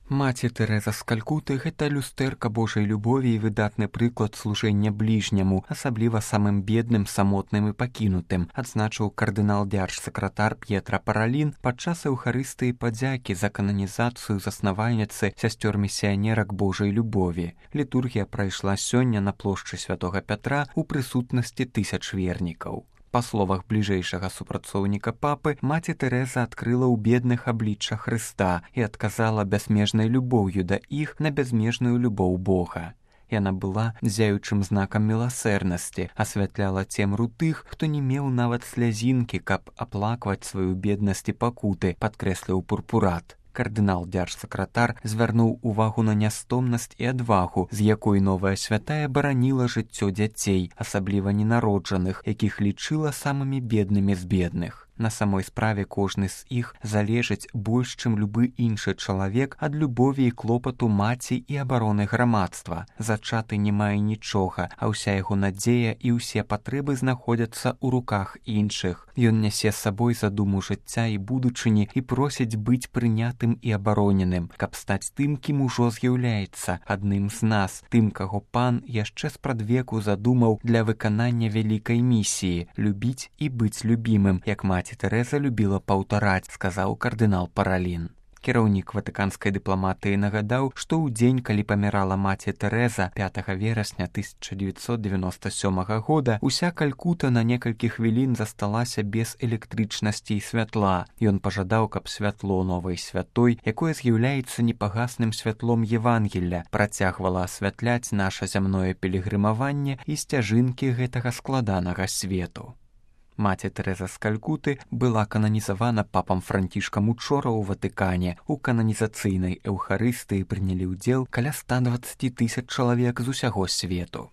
Маці Тэрэза з Калькуты – гэта люстэрка Божай любові і выдатны прыклад служэння бліжняму, асабліва самым бедным, самотным і пакінутым, адзначыў кардынал-дзярж-сакратар П'етра Паралін падчас эўхарыстыі падзякі за кананізацыю заснавальніцы сясцёр-місіянерак Божай любові. Літургія прайшла сёння на плошчы Святога Пятра ў прысутнасці тысяч вернікаў. Па словах бліжэйшага супрацоўніка папы, маці Тэрэза адкрыла ў бедных аблічча Хрыста і адказала бязмежнай любоўю да іх на бязмежную любоў Бога. Яна была зяючым знакам міласэрнасці, асвятляла цемру тых, хто не меў нават слязінкі, каб аплакваць сваю беднасць і пакуты, падкрэсліў пурпурат. Кардынал-дзярж-сакратар звярнуў увагу на нястомнасць і адвагу, з якой новая святая бараніла жыццё дзяцей, асабліва ненароджаных, якіх лічыла самымі беднымі з бедных. На самой справе кожны з іх залежыць больш, чым любы іншы чалавек ад любові і клопату маці і абароны грамадства. Зачаты не мае нічога, а ўся яго надзея і ўсе патрэбы знаходзяцца ў руках іншых. Ён нясе з сабой задуму жыцця і будучыні і просіць быць прынятым і абароненым, каб стаць тым, кім ужо з'яўляецца, адным з нас, тым, каго пан яшчэ спрадвеку задумаў для выканання вялікай місіі – любіць і быць любімым, як маці Тэрэза любіла паўтараць, сказаў кардынал Паралін. Кіраўнік ватыканскай дыпламатыі нагадаў, што ў дзень, калі памірала маці Тэрэза 5 верасня 1997 года, уся Калькута на некалькі хвілін засталася без электрычнасці і святла. Ён пажадаў, каб святло новай святой, якое з'яўляецца непагасным святлом Евангелля, працягвала асвятляць наша зямное пілігрымаванне і сцяжынкі гэтага складанага свету. Маці Тэрэза з Калькуты была кананізавана папам Францішкам учора ў Ватыкане. У кананізацыйнай эўхарыстыі прынялі ўдзел каля 120 000 чалавек з усяго свету.